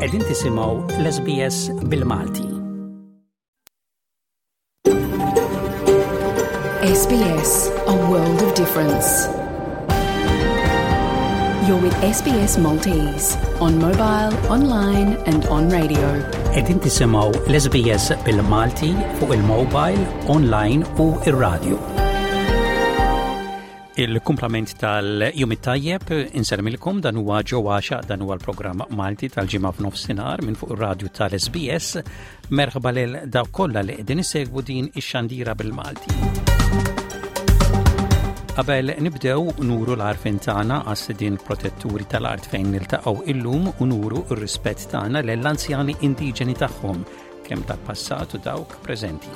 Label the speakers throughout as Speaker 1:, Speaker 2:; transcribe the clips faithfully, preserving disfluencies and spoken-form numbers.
Speaker 1: Qegħdin tisimgħu l-S B S bil-Malti.
Speaker 2: S B S, a world of difference. You're with S B S Maltese on mobile, online and on radio.
Speaker 1: Qegħdin tisimgħu l-S B S bil-Malti fuq il-mobile, online u ir-radio. Il-kumplament tal-jum it-tajjeb, insellmilkom, dan huwa ġewwaxa, dan huwa l-programm Malti tal-Ġimgħa f'nofsinhar minn fuq ir-radju tal-S B S. Merħba lil dawk kollha li qegħdin isegwu din ix-xandira bil-Malti. Qabel nibdew, nuru l-għarfien tagħna għas-sidien protetturi tal-art fejn niltaqgħu illum u nuru r-rispett tagħna lill-anzjani indiġeni tagħhom, kemm tal-passat u dawk preżenti.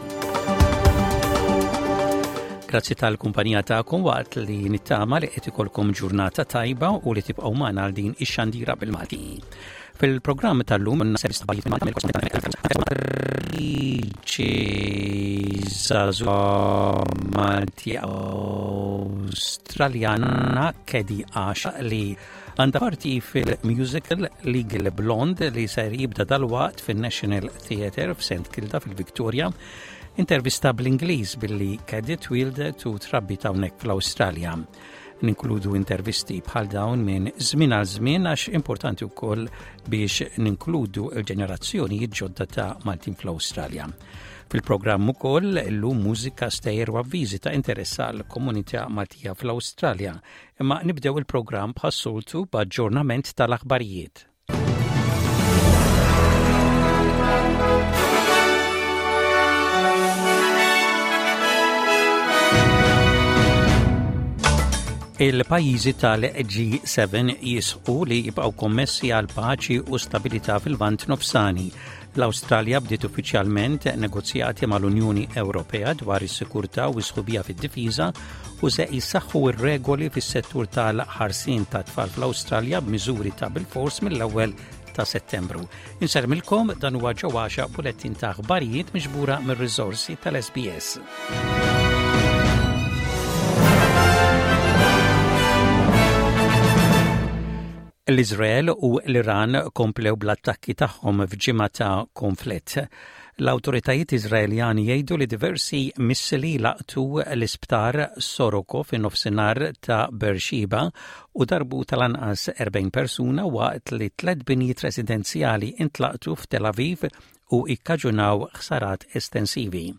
Speaker 1: Grazzi tal-kumpanija tagħkom waqt li nittama li qed ikolkom ġurnata tajba u li tibqgħu magħna għal din ix-xandira bil-Malti. Fil-programm tal-lum żagħżugħa Malti Awstraljana Kedi Għaxa li għandha parti fil-musical Legally Blonde li ser jibda dalwaqt fil-National Theatre f'Saint Kilda fil-Victoria. Intervista bl-Ingliż billi Kedi twieldet u trabbiet hawnhekk fl-Awstralja. Ninkludu intervisti bħal dawn minn żmien għal żmien għax importanti wkoll biex ninkludu l-ġenerazzjoni ġodda ta' Maltin fl-Awstralja. Fil-programm ukoll illum mużika, stejjer u avviżi ta' interess għal komunità Maltija fl-Awstralja. Imma nibdew il-programm bħas-soltu b'aġġornament tal-aħbarijiet. Il-pajjiżi tal-G seba jisħqu li jibqgħu kommessi għal paċi u stabilità fil-Lvant Nofsani. L-Awstralja bdiet uffiċjalment negozjati mal-Unjoni Ewropea dwar is-sikurtà u s-sħubija fid-difiża u se jissaħħu r-regoli fis-settur tal-ħarsien ta' tfal fl-Awstralja b'miżuri ta' bil-fors mill-ewwel ta' Settembru. Insellmilkom, dan huwa ġewwaxa, bulettin ta' aħbarijiet miġbura mir-riżorsi tal-S B S. L-Izrael u l-Iran komplew bl-attakki tagħhom f'ġimgħa ta' konflitt. L-awtoritajiet Iżraeljani jgħidu li diversi missili laqtu l-isptar Soroka fin-nofsinhar ta' Beersheba u darbu tal-anqas erbgħin persuna, waqt li tliet binjiet residenzjali intlaqtu f'Tel Aviv u ikkaġunaw ħsarat estensivi.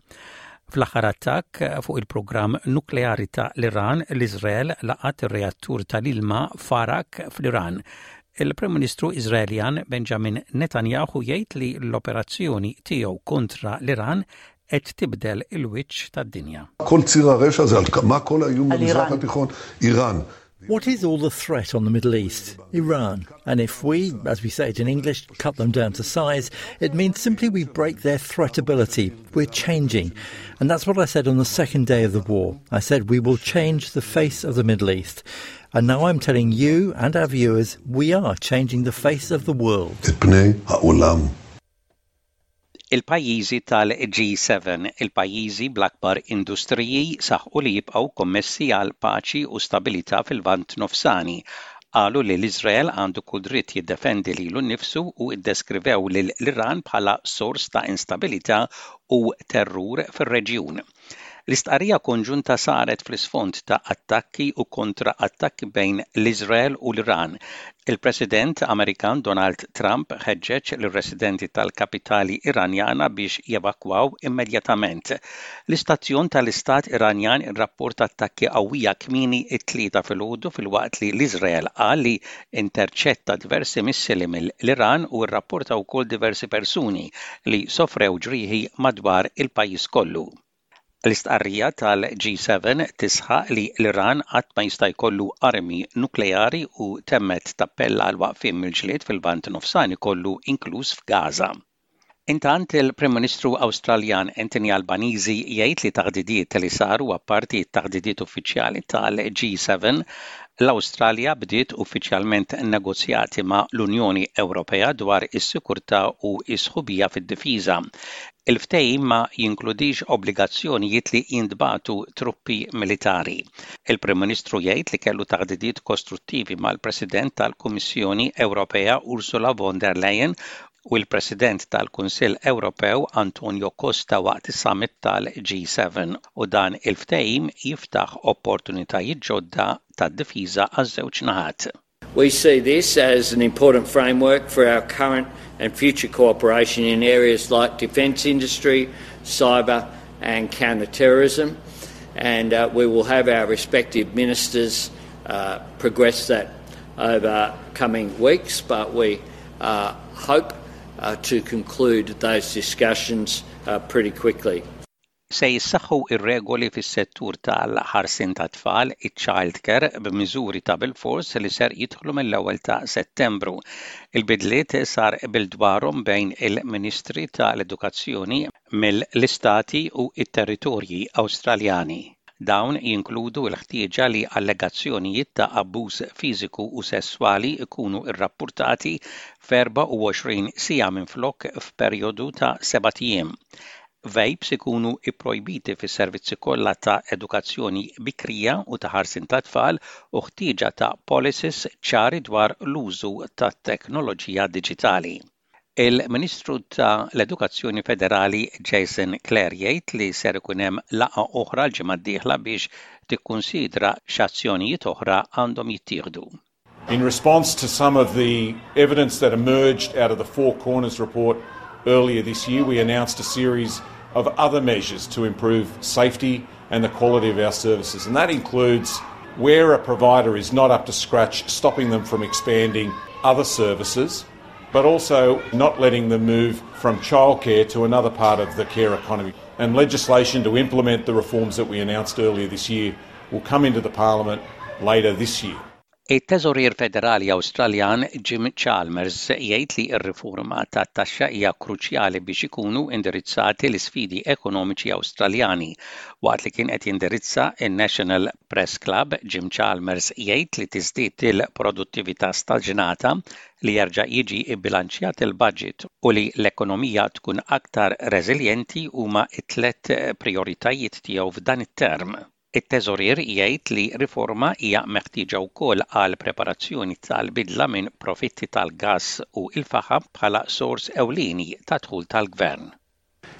Speaker 1: Fl-aħħar attakk fuq il-programm nukleari ta' l-Iran, l-Iżrael laqat ir-reattur tal-ilma Arak fl-Iran. Il-Prim Ministru Iżraeljan Benjamin Netanyahu jgħid li l-operazzjoni tiegħu kontra l-Iran qed tibdel il-wiċċ tad-dinja.
Speaker 3: כל ציר הרשע הזה, מה כל האיום במזרח התיכון? איראן.
Speaker 4: What is all the threat on the Middle East? Iran. And if we, as we say it in English, cut them down to size, it means simply we break their threatability. We're changing. And that's what I said on the second day of the war. I said we will change the face of the Middle East. And now I'm telling you and our viewers, we are changing the face of the world.
Speaker 3: את פני העולם.
Speaker 1: Il-pajjiżi tal-G seba, il-pajjiżi bl-akbar industriji, saħqu li jibqgħu kommessi għal paċi u stabilità fil-Lvant Nofsani. Qalu li l-Iżrael għandu kull dritt jiddefendi lilu nnifsu u iddeskrivew lil l-Iran bħala sors ta' instabilità u terrur fir-reġjun. L-istqarrija konġunta saret fl-isfond ta' attakki u kontra attakki bejn l-Iżrael u l-Iran. Il-President Amerikan Donald Trump ħeġġeġ lir-residenti tal-kapitali Iranjana biex jevakwaw immedjatament. L-istazzjon tal-Istat Iranjan irrapporta attakki qawwija kmieni it-Tlieta filgħodu, filwaqt li l-Iżrael qal li interċetta diversi missili mill-Iran u rrapporta wkoll diversi persuni li sofrew ġrieħi madwar il-pajjiż kollu. L-istqarrija tal-G seba tisħaq li l-Iran qatt ma jista' jkollu armi nukleari u temmet tappella għal waqfien mill-ġlied fil-Lvant Nofsani kollu, inkluż f'Gaza. Intant, il-Prim Ministru Awstraljan Anthony Albanese jgħid li taħdidiet li saru apparti t-taħdidiet uffiċjali tal-G seba L-Awstralja bdiet uffiċjalment negozjati ma' l-Unjoni Ewropea dwar is-sikurtà u s-sħubija fid-difiża. Il-ftehim ma jinkludix obbligazzjonijiet li jintbagħtu truppi militari. Il-Prim Ministru jgħid li kellu taħdidiet kostruttivi mal-President tal-Kummissjoni Ewropea Ursula von der Leyen u l-President tal-Kunsill Ewropew Antonio Costa waqt is-summit tal-G seven, u dan il-ftehim jiftaħ opportunitajiet ġodda tad-difiża għaż-żewġ naħat.
Speaker 5: We see this as an important framework for our current and future cooperation in areas like defence industry, cyber and counter-terrorism, and uh, we will have our respective ministers uh, progress that over coming weeks, but we uh, hope uh, to conclude those discussions uh, pretty quickly.
Speaker 1: Se jissaħħu ir-regoli fis-settur tal-ħarsien tat-tfal, iċ-child care, b'miżuri ta' bilfors li ser jidħlu mill-ewwel ta' Settembru. Il-bidliet sar qbil dwarhom bejn il-Ministri tal-Edukazzjoni mill-Istati u it-Territorji Awstraljani. Dawn jinkludu l-ħtieġa li allegazzjonijiet ta' abbuż fiżiku u sesswali ikunu rrappurtati f'erbgħa u għoxrin siegħa minflok f'perjodu ta' sebat ijiem. Vapes ikunu ipprojbiti fis-servizzi kollha ta' edukazzjoni bikrija u ta' ħarsien ta' tfal u ħtieġa ta' policies ċari dwar l-użu ta' teknoloġija diġitali. Il-Ministru ta' l-Edukazzjoni Federali Jason Clare jgħid li ser ikun hemm laqgħa oħra l-ġimgħa d-dieħla biex tikkunsidra x'azzjonijiet oħra għandhom jittieħdu.
Speaker 6: In response to some of the evidence that emerged out of the Four Corners report earlier this year, we announced a series of other measures to improve safety and the quality of our services. And that includes, where a provider is not up to scratch, stopping them from expanding other services, but also not letting them move from childcare to another part of the care economy. And legislation to implement the reforms that we announced earlier this year will come into the Parliament later this year.
Speaker 1: Il-Teżorier Federali Awstraljan Jim Chalmers jgħid li r-riforma tat-taxxa hija kruċjali biex ikunu indirizzati l-isfidi ekonomiċi Awstraljani. Waqt li kien qed jindirizza in-National Press Club, Jim Chalmers jgħid li tiżdied il-produttività staġnata, li jerġa' jiġi bbilanċjat il-budget u li l-ekonomija tkun aktar reżiljenti huma t-tlet prioritajiet tiegħu f'dan it-term. It-teżorier jgħid li riforma hija meħtieġa wkoll għal preparazzjoni tal-bidla minn profitti tal-gass u il-faħam bħala sors ewlieni ta' dħul tal-gvern.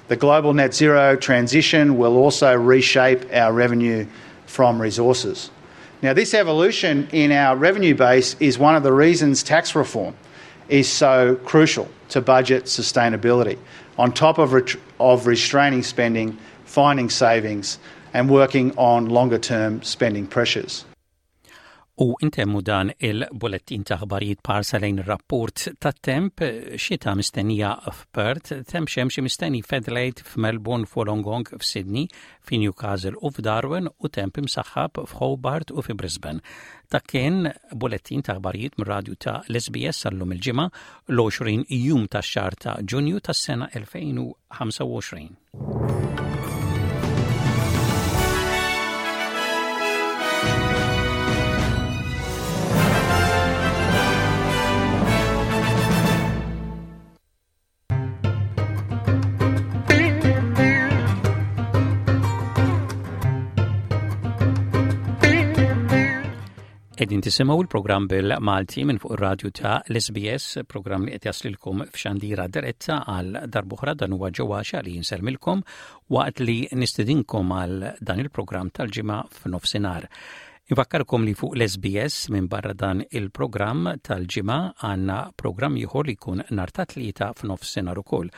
Speaker 7: The global net zero transition will also reshape our revenue from resources. Now, this evolution in our revenue base is one of the reasons tax reform is so crucial to budget sustainability, on top of, of restraining spending, finding savings, and working on longer term spending pressures.
Speaker 1: U intemmu dan il-bulettin ta' aħbarijiet b'ħarsa lejn rapport ta' temp: xita mistennija f'Perth, temp xemxi mistenni f'Adelaide, f'Melbourne, f'Wollongong, f'Sydney, f'Newcastle u f'Darwin u temp imsaħħab f'Hobart u fi Brisbane. Dak kien bulettin ta' aħbarijiet mir-radju ta' l-S B S għal-lum il-Ġimgħa, l-għoxrin jum tax-xahar ta' Ġunju tas-sena elfejn u ħamsa u għoxrin. Qegħdin tisimgħu il-programm bil-Malti minn fuq ir-radju ta' l-S B S, programm li qed jaslilkom f'xandira diretta. Għal darb'oħra, dan huwa Ġewwaxa li jinselmilkom waqt li nistedinkom għal dan il-programm tal-Ġimgħa f'nofsinhar. Infakkarkom li fuq l-S B S, minn barra dan il-programm tal-Ġimgħa, għandna programm ieħor li jkun nhar ta' Tlieta f'nofsinhar ukoll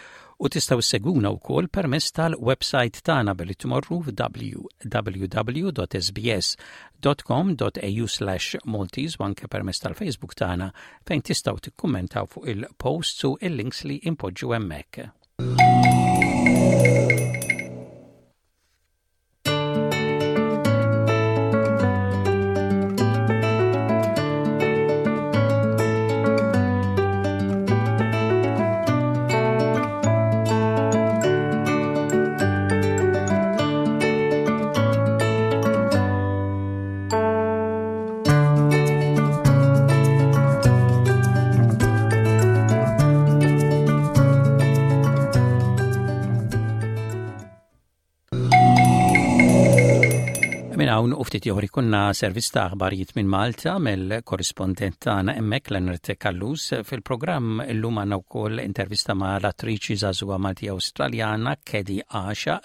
Speaker 1: u tistgħu ssegwuna wkoll permezz tal-website tagħna billi tmorru w w w punt S B S punt com punt A U slash Maltese u anke permezz tal-Facebook tagħna, fejn tistgħu tikkummentaw fuq il-posts u il-links li impoġġu hemmhekk. Hawn u ftit ieħor ikollna servizz ta' aħbarijiet minn Malta mill-korrispondent tagħna hemmhekk Leonard Callus. Fil-programm illum għandna wkoll intervista ma' l-attriċi żagħżugħa Malti Awstraljana Kedi Asha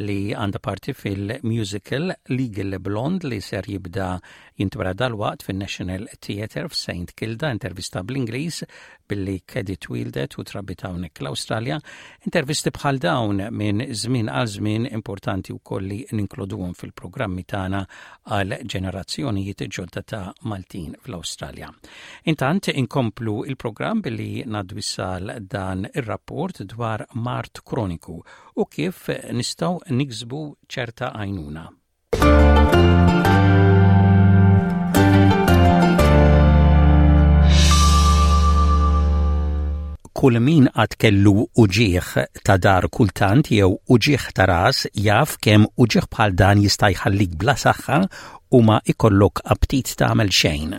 Speaker 1: li għandha parti fil-musical Legally Blonde li ser jibda jintwera dalwaqt fin-National Theatre f'Saint Kilda, intervista bl-Ingliż billi Kedi twieldet u trabbiet hawnhekk l-Awstralja. Intervisti bħal dawn minn żmien għal żmien importanti wkoll li ninkluduhom fil-programmi tagħna għal ġenerazzjonijiet ġodda ta' Maltin fl-Awstralja. Intant inkomplu il-programm billi ngħaddu dan ir-rapport dwar mard kroniku u kif nistgħu niksbu ċerta għajnuna. Kull min qatt kellu uġigħ ta' dahar kultant jew uġigħ ta' ras jaf kemm uġigħ bħal dan jista' jħallik bla saħħa u ma ikollok aptit tagħmel xejn.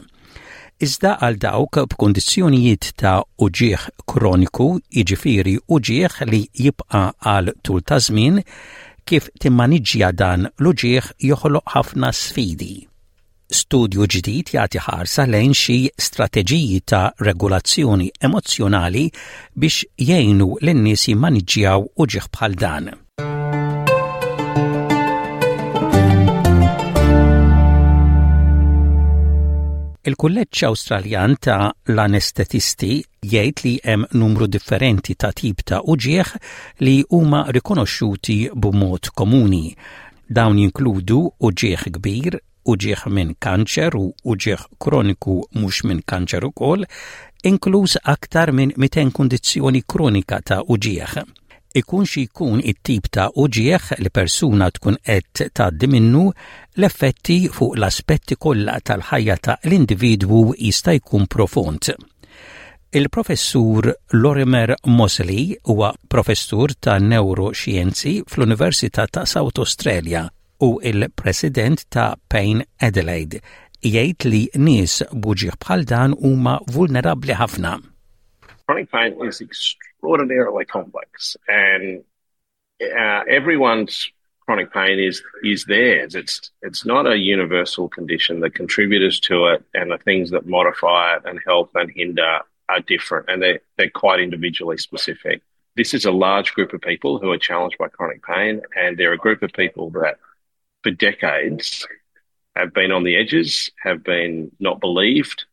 Speaker 1: Iżda għal dawk b'kundizzjonijiet ta' uġigħ kroniku, jiġifieri uġigħ li jibqa' għal tul ta' żmien, kif timmaniġġja dan l-uġigħ joħloq ħafna sfidi. Studju ġdid jagħti ħarsa lejn xi strateġiji ta' regolazzjoni emozzjonali biex jgħinu lin-nies jimmaniġġjaw uġigħ bħal dan. Il-Kulleġġ Awstraljan ta' l-Anestetisti jgħid li hemm numru differenti ta' tip ta' uġigħ li huma rikonoxxuti b'mod komuni. Dawn jinkludu uġigħ kbir, uġigħ minn kanċer u uġigħ kroniku mhux minn kanċer ukoll, inkluż aktar minn mitejn kundizzjoni kronika ta' uġigħ. Ikun xi jkun it-tip ta' uġigħ li persuna tkun qed tgħaddi minnu, l-effetti fuq l-aspetti kollha tal-ħajja ta' l-individwu jista' jkun profond. Il-professur Lorimer Moseley huwa professur ta' neuroxjenzi fl-Università ta' South Australia u il-president ta' Pain Adelaide. Jgħid li nies b'uġigħ bħal dan huma vulnerabbli ħafna.
Speaker 8: Chronic pain is extraordinarily complex, and uh, everyone's chronic pain is is theirs. It's it's not a universal condition. The contributors to it and the things that modify it and help and hinder are different, and they're, they're quite individually specific. This is a large group of people who are challenged by chronic pain, and they're a group of people that for decades have been on the edges, have been not believed,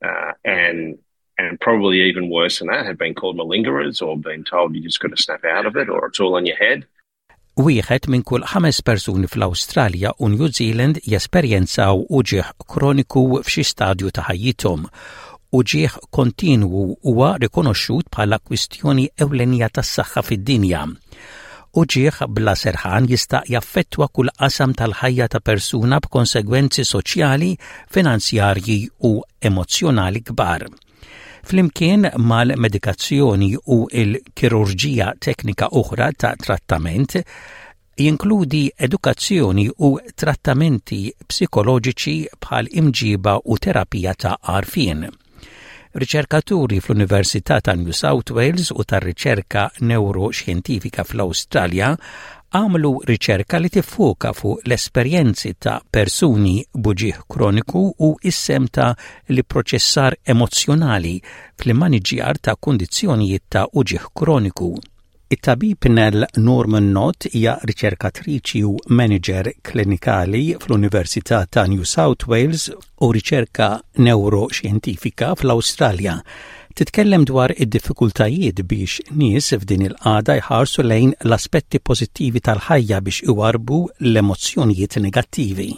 Speaker 8: uh, and and probably even worse than that, have been called malingerers or been told you just got to snap out of it or it's all in your head.
Speaker 1: Wieħed minn kull ħames persuni fl-Awstralja u New Zealand jesperjenzaw uġigħ kroniku f'xi stadju ta' ħajjithom. Uġigħ kontinwu huwa rikonoxxut bħala kwistjoni ewlenija tas-saħħa fid-dinja. Uġigħ bla serħan jista' jaffettwa kull qasam tal-ħajja ta' persuna b'konsegwenzi soċjali, finanzjarji u emozzjonali kbar. Flimkien mal-medikazzjoni u l-kirurġija teknika oħra ta' trattament, jinkludi edukazzjoni u trattamenti psikoloġiċi bħal imġiba u terapija ta' għarfien. Riċerkaturi fl-Università ta' New South Wales u tar-riċerka neuroxjentifika fl-Awstralja għamlu riċerka li tiffoka fuq l-esperjenzi ta' persuni b'uġigħ kroniku u is-sehem ta' l-ipproċessar emozzjonali fl-immaniġġjar ta' kundizzjonijiet ta' uġigħ kroniku. It-tabib Nell Norman Nott hija riċerkatriċi u manager klinikali fl-Università ta' New South Wales u riċerka neuroxjentifika fl-Awstralja. Titkellem dwar id-diffikultajiet biex nies f'din il-qagħda jħarsu lejn l-aspetti pożittivi tal-ħajja biex iwarbu l-emozzjonijiet negattivi.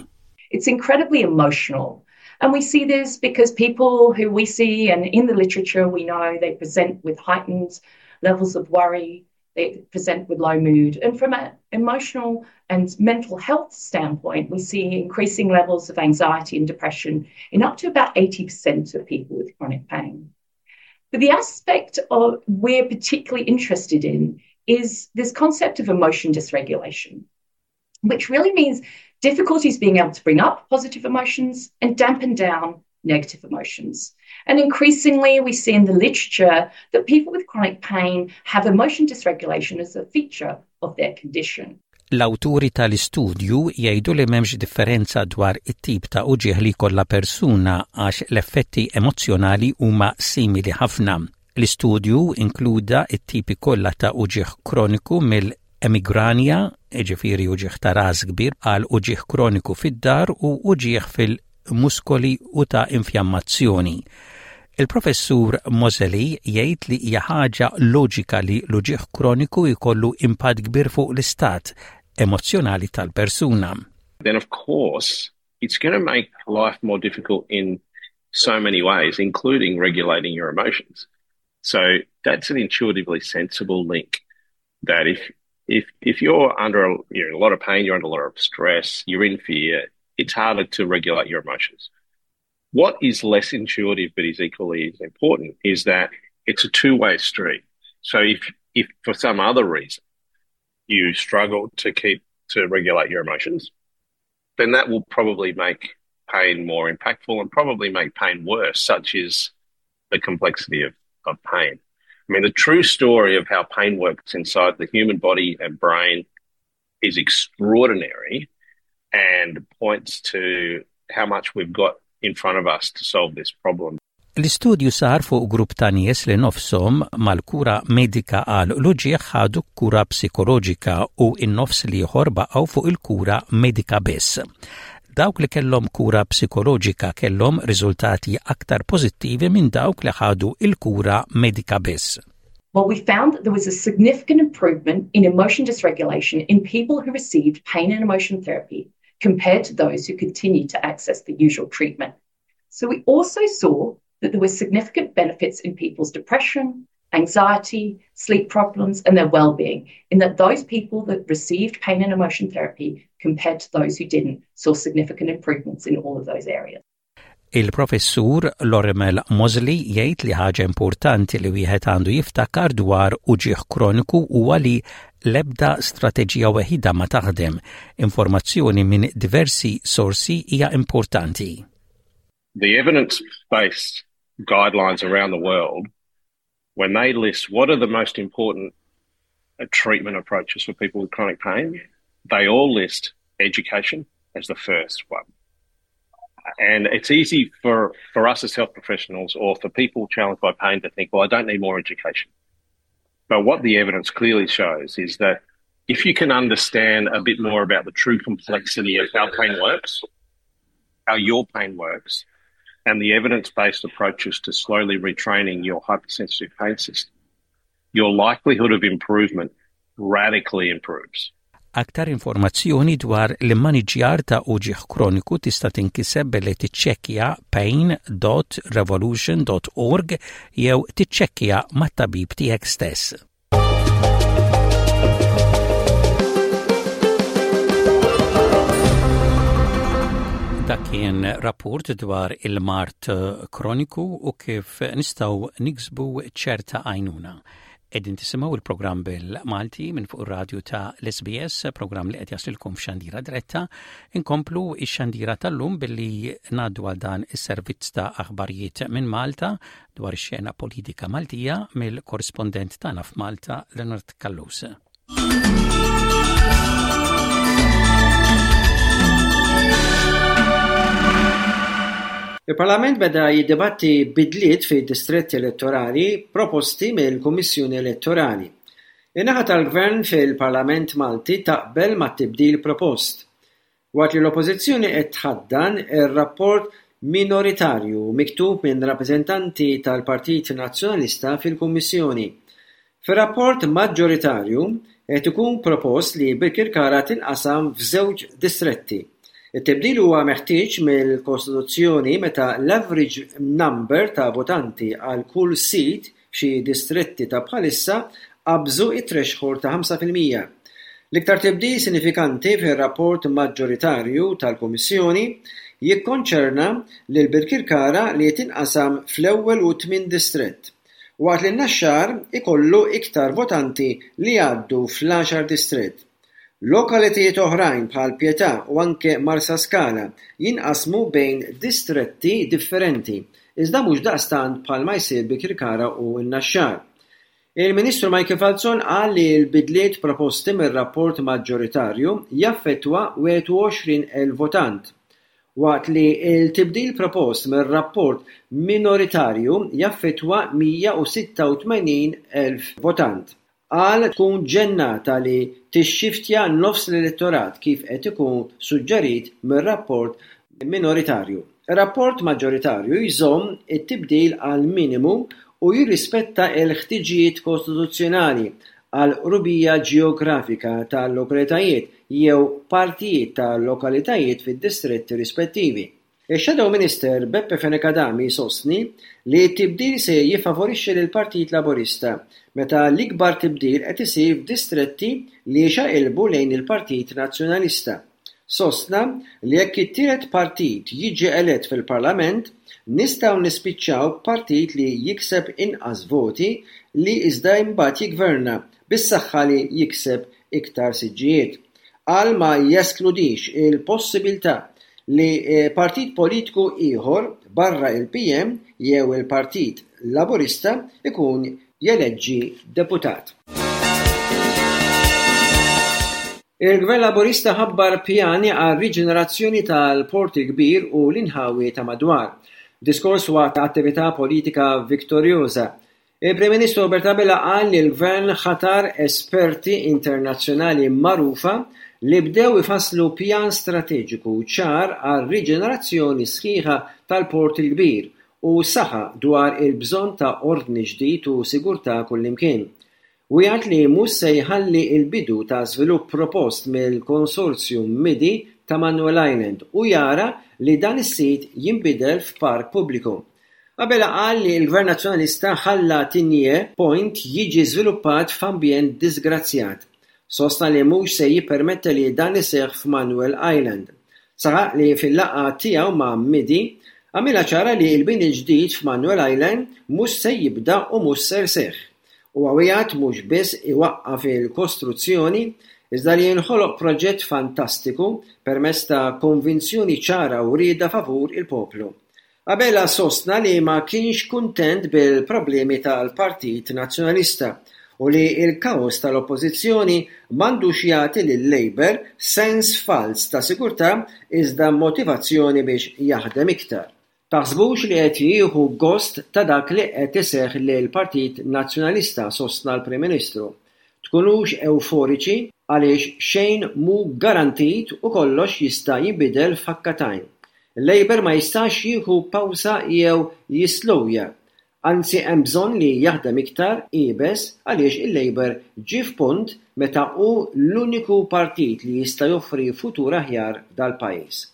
Speaker 9: It's incredibly emotional. And we see this because people who we see and in the literature we know they present with heightened levels of worry, they present with low mood. And from an emotional and mental health standpoint, we see increasing levels of anxiety and depression in up to about eighty percent of people with chronic pain. But the aspect of we're particularly interested in is this concept of emotion dysregulation, which really means difficulties being able to bring up positive emotions and dampen down negative emotions. And increasingly, we see in the literature that people with chronic pain have emotion dysregulation as a feature of their condition.
Speaker 1: L-awturi tal-istudju jgħidu li m'hemmx differenza dwar it-tip ta' uġigħ li jkollha persuna għax l-effetti emozzjonali huma simili ħafna. L-istudju inkluda it-tipi kollha ta' uġigħ kroniku mill-emigranja, jiġifieri uġigħ ta' ras kbir, għal uġigħ kroniku fid-dahar u uġigħ fil-muskoli u ta' infjammazzjoni. Il-professur Moseley jgħid li hija ħaġa loġika li l-uġigħ kroniku jkollu impatt kbir fuq l-istat emozzjonali tal-persuna.
Speaker 8: Then of course it's going to make life more difficult in so many ways, including regulating your emotions. So that's an intuitively sensible link that if if if you're under a, you're in a lot of pain, you're under a lot of stress, you're in fear, it's harder to regulate your emotions. What is less intuitive but is equally as important is that it's a two-way street. So if if for some other reason you struggle to keep to regulate your emotions, then that will probably make pain more impactful and probably make pain worse, such is the complexity of, of pain. I mean, the true story of how pain works inside the human body and brain is extraordinary and points to how much we've got in front of us to solve this problem.
Speaker 1: L-istudju sar fuq grupp ta' nies li nofshom mal-kura medika għal l-uġigħ ħadu kura psikoloġika u n-nofs l-ieħor baqgħu fuq il-kura medika biss. Dawk li kellhom kura psikoloġika kellhom riżultati aktar pożittivi minn dawk li ħadu il-kura medika biss.
Speaker 9: Well, we found that there was a significant improvement in emotion dysregulation in people who received pain and emotion therapy compared to those who continued to access the usual treatment. So we also saw that there were significant benefits in people's depression, anxiety, sleep problems, and their well-being, in that those people that received pain and emotion therapy compared to those who didn't saw significant improvements in all of those areas.
Speaker 1: Il-professur Lorimer Moseley jgħid li ħaġa importanti li wieħed għandu jiftakar dwar uġigħ kroniku huwa li l-ebda strateġija weħida ma taħdem. Informazzjoni minn diversi sorsi hija importanti.
Speaker 8: The evidence-based guidelines around the world, when they list what are the most important treatment approaches for people with chronic pain, they all list education as the first one. And it's easy for, for us as health professionals or for people challenged by pain to think, well, I don't need more education. But what the evidence clearly shows is that if you can understand a bit more about the true complexity of how pain works, how your pain works, and the evidence-based approaches to slowly retraining your hypersensitive pain system, your likelihood of improvement radically improves.
Speaker 1: Aktar informazzjoni dwar l-immaniġjar ta' uġigħ kroniku tista' tinkiseb billi tiċċekkja pain dot revolution dot org jew tiċċekkja mat-tabib tiegħek stess. Dak kien rapport dwar il-mard kroniku u kif nistgħu niksbu ċerta għajnuna. Qegħdin tisimgħu il-programm bil-Malti minn fuq ir-radju ta' l-S B S, programm li qed jaslilkom f'xandira diretta. Inkomplu ix-xandira tal-lum billi ngħaddu għal dan is-servizz ta' aħbarijiet minn Malta dwar ix-xena politika Maltija mill-korrispondent tagħna f'Malta, Leonard Callus.
Speaker 10: Il-Parlament beda jiddibatti bidliet fi distretti elettorali proposti mill-Kummissjoni Elettorali. In-naħa tal-Gvern fil-Parlament Malti taqbel mat-tibdil propost. Waqt li l-Oppożizzjoni qed tħaddan ir-rapport minoritarju miktub minn rappreżentanti tal-Partit Nazzjonalista fil-Kummissjoni. Fir-rapport maġġoritarju qed ikun propost li Birkirkara tinqasam f'żewġ distretti. It-tibdil huwa meħtieġ mill-Kostituzzjoni meta l-average number ta' votanti għal kull seat f'xi distretti ta' bħalissa qabżu it-threshold ta' ħamsa fil-mija. L-iktar tibdil sinifikanti fir-rapport maġġoritarju tal-Kummissjoni jikkonċerna lil Birkirkara li tinqasam fl-ewwel u tmien distrett, waqt li n-Naxxar ikollu iktar votanti li jgħaddu fl-għaxar distrett. Lokalitajiet oħrajn bħal Pietà u anke Marsaskala jinqasmu bejn distretti differenti, iżda mhux daqstant bħalma jsir Birkirkara u n-Naxxar. Il-Ministru Michael Falzon qal li l-bidliet proposti mir-rapport maġġoritarju jaffettwa wieħed u għoxrin elf votant, waqt li l-tibdil propost mir-rapport minoritarju jaffettwa mija u sitta u tmenin elf votant. Qal tkun ġennata li tixxiftja nofs l-elettorat kif qed ikun suġġerit mir-rapport minoritarju. Ir-rapport maġġoritarju jżomm it-tibdil għal minimu u jirrispetta l-ħtiġijiet kostituzzjonali għal qrubija ġeografika tal-lokalitajiet jew partijiet tal-lokalitajiet fid-distretti rispettivi. Ix-Shadow Minister Beppe Fenech Adami sostni li t-tibdil se jiffavorixxi lill-Partit Laburista meta l-ikbar tibdil qed isir f'distretti li xaqilbu lejn il-Partit Nazzjonalista. Sostna li jekk it-tielet partit jiġi elett fil-Parlament, nistgħu nispiċċaw partit li jikseb inqas voti li iżda imbagħad jiggverna bis-saħħa li jikseb iktar siġġijiet. Qal ma jeskludix il-possibilità li partit politiku ieħor barra il-P M jew il-Partit Laburista ikun jeleġġi deputat. Il-Gvern Laburista ħabbar pjani għal riġenerazzjoni tal-Port il-Kbir u l-inħawi ta' madwar. Diskors waqt attività politika vittorjuża. Il-Prim Ministru Robert Abela qal li l-Gvern ħatar esperti internazzjonali magħrufa li bdew ifasslu pjan strateġiku ċar għal riġenerazzjoni sħiħa tal-Port il-Kbir u saħa dwar il-bżonn ta' ordni ġdid u sigurtà kullimkien. Wieħed li mhux se jħalli l-bidu ta' żvilupp propost mill-konsorzju Midi ta' Manuel Island u jara li dan is-sit jinbidel f'park pubbliku. Abela qal li l-Gvern Nazzjonalista ħalla Tigné Point jiġi żviluppat f'ambjent disgrazzjat. Sostna li mhux se jippermetti li dan iseħħ f'Manuel Island. Saħaq li fil-laqgħa tiegħu ma' Midi għamilha ċara li l-bini ġdid f'Manuel Island mhux se jibda u mhux ser seħħ. U għawijat mhux biss iwaqqaf il-kostruzzjoni, iżda li jinħoloq proġett fantastiku permezz ta' konvinzjoni ċara u rieda favur il-poplu. Abela sostna li ma kienx kuntent bil-problemi tal-Partit Nazzjonalista u li l-kaos tal-Oppożizzjoni m'għandux jagħti lil-Labour sens fals ta' sigurtà iżda motivazzjoni biex jaħdem iktar. Taħsbux li qed jieħu gost ta' dak li qed iseħħ lill-Partit Nazzjonalista, sostna l-Prim Ministru. Tkunux euforiċi għaliex xejn mhu garantit u kollox jista' jinbidel f'ħakkatajn. Il-Labour ma jistax jieħu pawsa jew jislowja. Anzi hemm bżonn li jaħdem iktar iebes għaliex il-Labour ġie f'punt meta hu l-uniku partit li jista' joffri futur aħjar dal-pajjiż.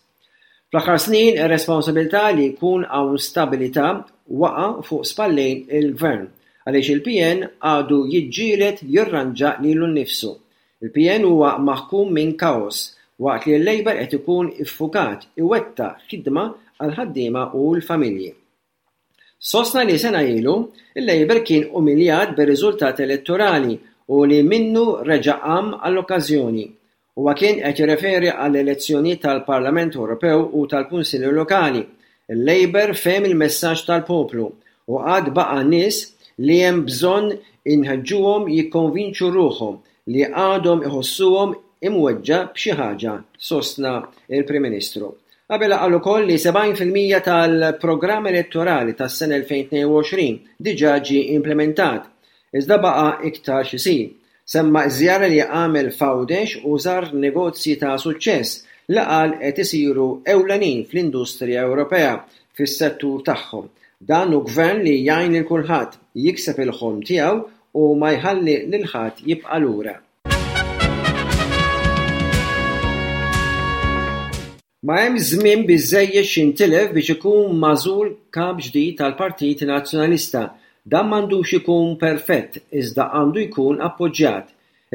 Speaker 10: Fl-aħħar snin ir-responsabilità li jkun hawn stabilità waqa' fuq spallejn il-Gvern għaliex il-P N għadu jiġġieled jirranġa lilu nnifsu. Il-P N huwa maħkum minn kaos waqt li l-Labour qed ikun iffukat iwettaq ħidma għal ħaddiema u l-familji. Sostna li sena ilu, il-Labour kien umiljat bir-riżultat elettorali u li minnu reġa' qam għall-okkażjoni. Huwa kien qed jirreferi għall-elezzjonijiet tal-Parlament Ewropew u tal-Kunsilli Lokali. Il-Labour fehem il-messaġġ tal-poplu u għad baqa' nies li hemm bżonn inħeġġuhom jikkonvinċu ruħhom li għadhom iħossuhom imweġġa' b'xi ħaġa, sostna il-Prim Ministru. Abela qal ukoll li sebgħin fil-mija tal-programm elettorali tas-sena elfejn tnejn u għoxrin diġà ġie implementat, iżda baqa' iktar x'isir. Semma żjara li għamel f'Għawdex u żar negozji ta' suċċess li qal qed isiru ewlenin fl-industrija Ewropea fis-settur tagħhom. Dan hu gvern li jgħin lil kulħadd jikseb il-ħolm tiegħu u ma jħalli lil ħadd jibqa' lura. Ma hemm żmien biżżejjed x'intilef biex ikun magħżul kap ġdid tal-Partit Nazzjonalista. Dan m'għandux ikun perfett, iżda għandu jkun appoġġjat.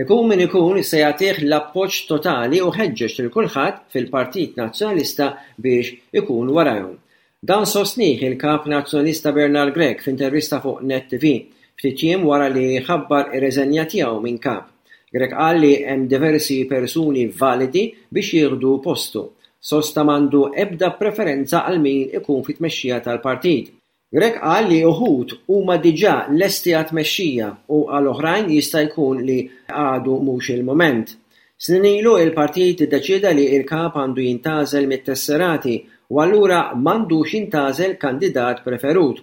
Speaker 10: Ikun min ikun se jagħtih l-appoġġ totali u ħeġġeġ lil kulħadd fil-Partit Nazzjonalista biex ikun warajhom. Dan sostnih il-Kap Nazzjonalista Bernard Grech f'intervista fuq Net T V, ftit jiem wara li ħabbar ir-reżenja tiegħu minn kap. Grech qal li hemm diversi persuni validi biex jieħdu postu. Sosta m'għandu ebda preferenza għal min ikun fit-tmexxija tal-partit. Grech qal li uħud huma diġà lesti għat-tmexxija u għal oħrajn jista' jkun li għadu mhux il-mument. Snin ilu il-partit iddeċieda li l-kap għandu jintgħażel mit-tesserati u allura m'għandux jintgħażel kandidat preferut.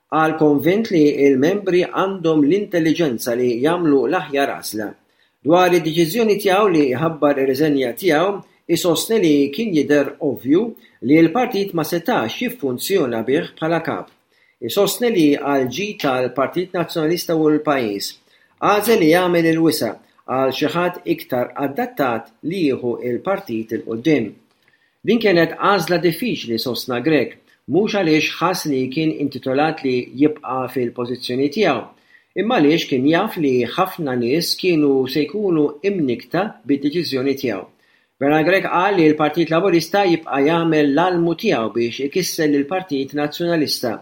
Speaker 10: Qal konvint li l-membri għandhom l-intelliġenza li jagħmlu l-aħjar għażla. Dwar id-deċiżjoni tiegħu li jħabbar ir-riżenja tiegħu, isostni li kien jidher ovvju li l-partit ma setax jiffunzjona bih bħala kap. Isostni li għall-ġid tal-Partit Nazzjonalista u l-pajjiż, għażel li jagħmel il-wisa' għal xi ħadd iktar adattat li jieħu l-partit 'il quddiem. Din kienet għażla diffiċli, sostna Grech, mhux għaliex ħass li kien intitolat li jibqa' fil-pożizzjoni tiegħu, imma għaliex kien jaf li ħafna nies kienu se jkunu imnikkta bid-deċiżjoni tiegħu. Bernard Grech qal li l-Partit Laburista jibqa' jagħmel l-almu tiegħu biex ikisser lill-Partit Nazzjonalista.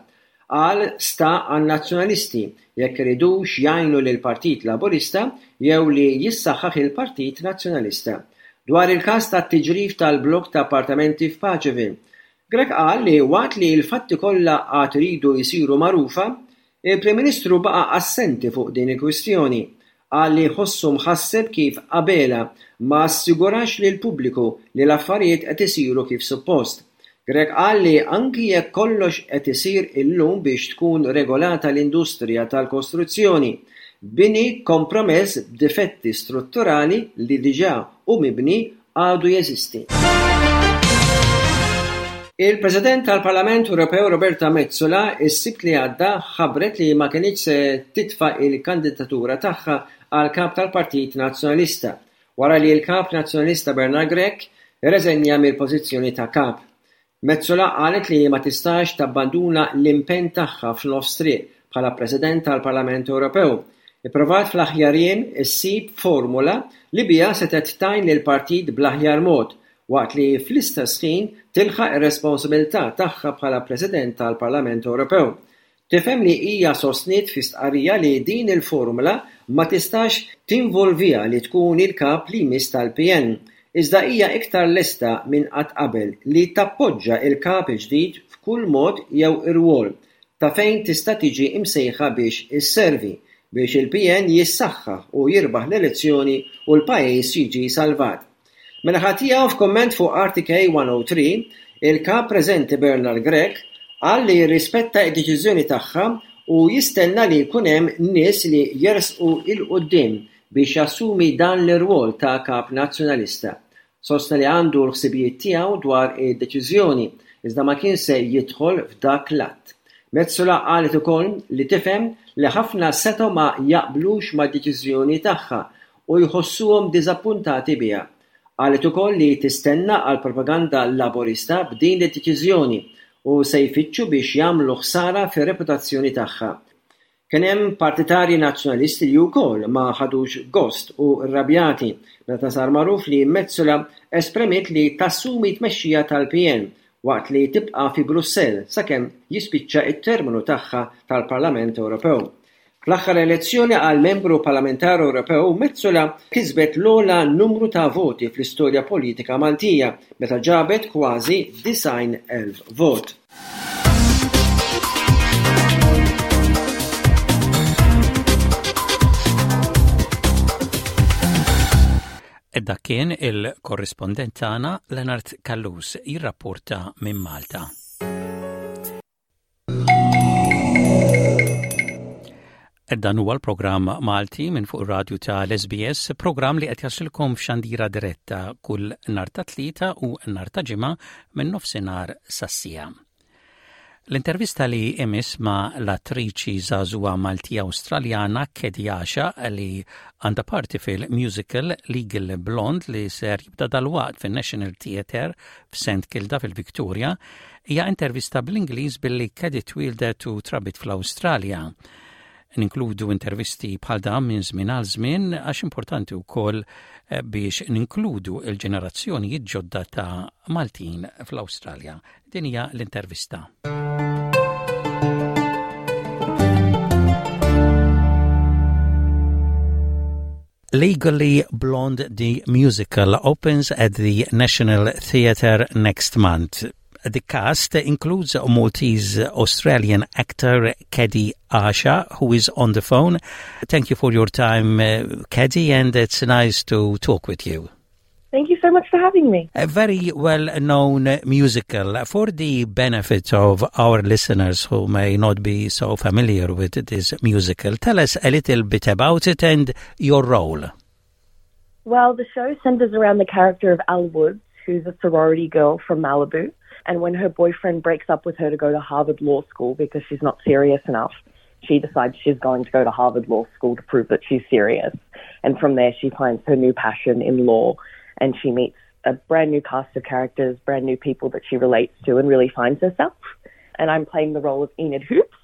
Speaker 10: Qal sta għan-Nazzjonalisti jekk iridux jgħinu lill-Partit Laburista jew li jissaħħaħ il-Partit Nazzjonalista. Dwar il-każ tat-tiġrif tal-blokk ta' appartamenti f'Paceville, Grech qal li waqt li l-fatti kollha għad iridu jsiru magħrufa, il-Prim Ministru baqa' assenti fuq din il-kwistjoni. Qal li ħossu mħasseb kif Abela ma assigurax lill-pubbliku li l-affarijiet qed isiru kif suppost. Grech qal li anki jekk kollox qed isir illum biex tkun regolata l-industrija tal-kostruzzjoni, bini kompromess b'difetti strutturali li diġà hu mibni għadu jeżisti. Il-President tal-Parlament Ewropew Roberta Metsola is-Sibt li għadda ħabbret li ma kinitx se titfa' il-kandidatura tagħha għal kap tal-Partit Nazzjonalista wara li l-kap Nazzjonalista Bernard Grech irreżenja mill-pożizzjoni ta' kap. Metsola qalet li ma tistax tabbanduna l-impenn tagħha f'nofs triq bħala President tal-Parlament Ewropew. Ipprovat fl-aħjar jiem issib formula li biha setgħet tgħin lill-partit bl-aħjar mod waqt li fl-istess ħin tilħaq ir-responsabilità tagħha bħala President tal-Parlament Ewropew. Tifhem li hija sostniet fi stqarrija li din il-formula ma tistax tinvolviha li tkun il-kap li jmiss tal-P N, iżda hija iktar lesta minn qatt qabel li tappoġġa il-kap il-ġdid f'kull mod jew irwol ta' fejn tista' tiġi imsejħa biex isservi biex il-P N jissaħħaħ u jirbaħ l-elezzjoni u l-pajjiż jiġi salvat. Mela ħadd tiegħu f'kumment fuq R T K one oh three, il-kap preżenti Bernard Grech qal li jirrispetta d-deċiżjoni tagħha u jistenna li jkun hemm nies li jersqu 'l quddiem biex jassumi dan l-irwol ta' kap nazzjonalista. Sostna li għandu l-ħsibijiet tiegħu dwar id-deċiżjoni, iżda ma kien se jidħol f'dak l-att. Metsola qalet ukoll li tifhem li ħafna setgħu ma jaqblux mad-deċiżjoni tagħha u jħossuhom diżappuntati biha. Qalet ukoll li tistenna għal propaganda laburista b'din id-deċiżjoni u se jfittxu biex jagħmlu ħsara fir-reputazzjoni tagħha. Kien hemm partitarji nazzjonalisti li wkoll ma ħadux gost u rrabjati meta sar magħruf li Metsola esprimiet li tassumi tmexxija tal-P N waqt li tibqa' fi Brussell sakemm jispiċċa t-terminu tagħha tal-Parlament Ewropew. Fl-aħħar elezzjoni għal membru parlamentari Ewropew, Metsola kisbet l-ogħla numru ta' voti fl-istorja politika Maltija meta ġabet kważi disgħin elf vot.
Speaker 1: Dak kien il-korrispondent tagħna Leonard Callus jirrapporta minn Malta. Dan huwa l-programm Malti minn fuq ir-radju tal-S B S, programm li qed jasilkom f'xandira diretta kull nhar ta' Tlieta u nhar ta' Ġimgħa minn nofsinhar sas-siegħa. L-intervista li imiss ma' l-attriċi żagħżugħa Maltija Awstraljana Kedi Għaxaq li għandha parti fil-musical Legally Blonde li ser jibda dalwaqt fin-National Theatre f'Saint Kilda fil-Victoria hija intervista bl-Ingliż billi Kedi twieldet u trabit fl-Awstralja. Ninkludu intervisti bħal dan minn żmien għal żmien għax importanti wkoll biex ninkludu l-ġenerazzjonijiet ġodda ta' Maltin fl-Awstralja. Din hija l-intervista. Legally Blonde the Musical opens at the National Theatre next month. The cast includes Maltese Australian actor Keddy Asha, who is on the phone. Thank you for your time, uh, Keddy, and it's nice to talk with you.
Speaker 11: Thank you so much for having me.
Speaker 1: A very well known musical. For the benefit of our listeners who may not be so familiar with this musical, tell us a little bit about it and your role.
Speaker 11: Well, the show centers around the character of Elle Woods, who's a sorority girl from Malibu. And when her boyfriend breaks up with her to go to Harvard Law School because she's not serious enough, she decides she's going to go to Harvard Law School to prove that she's serious. And from there, she finds her new passion in law and she meets a brand new cast of characters, brand new people that she relates to, and really finds herself. And I'm playing the role of Enid Hoops,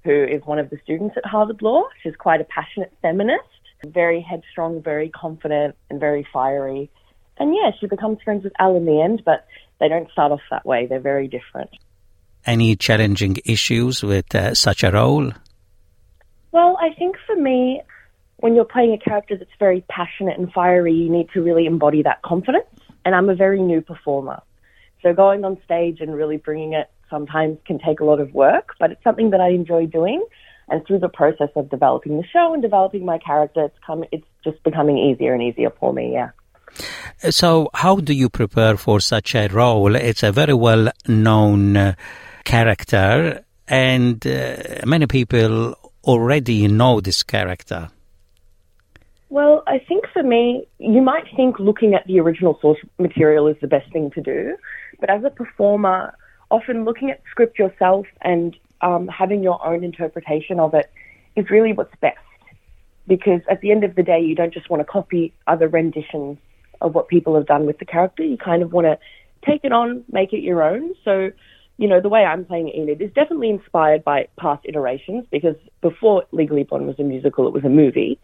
Speaker 11: who is one of the students at Harvard Law. She's quite a passionate feminist, very headstrong, very confident, and very fiery. And yeah, she becomes friends with Elle in the end, but they don't start off that way. They're very different.
Speaker 1: Any challenging issues with uh, such a role?
Speaker 11: Well, I think for me, when you're playing a character that's very passionate and fiery, you need to really embody that confidence. And I'm a very new performer. So going on stage and really bringing it sometimes can take a lot of work, but it's something that I enjoy doing. And through the process of developing the show and developing my character, it's come, it's just becoming easier and easier for me, yeah.
Speaker 1: So, how do you prepare for such a role? It's a very well known uh, character, and uh, many people already know this character.
Speaker 11: Well, I think for me, you might think looking at the original source material is the best thing to do, but as a performer, often looking at script yourself and um, having your own interpretation of it is really what's best. Because at the end of the day, you don't just want to copy other renditions of what people have done with the character. You kind of want to take it on, make it your own. So, you know, the way I'm playing Enid is definitely inspired by past iterations because before Legally Blonde was a musical, it was a movie.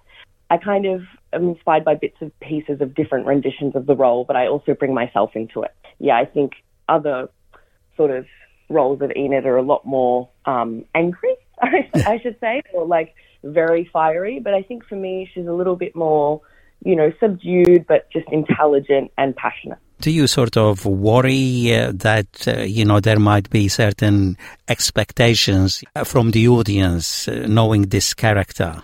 Speaker 11: I kind of am inspired by bits and pieces of different renditions of the role, but I also bring myself into it. Yeah, I think other sort of roles of Enid are a lot more um, angry, I should say, or like very fiery. But I think for me, she's a little bit more, you know, subdued, but just intelligent and passionate.
Speaker 1: Do you sort of worry uh, that, uh, you know, there might be certain expectations from the audience uh, knowing this character?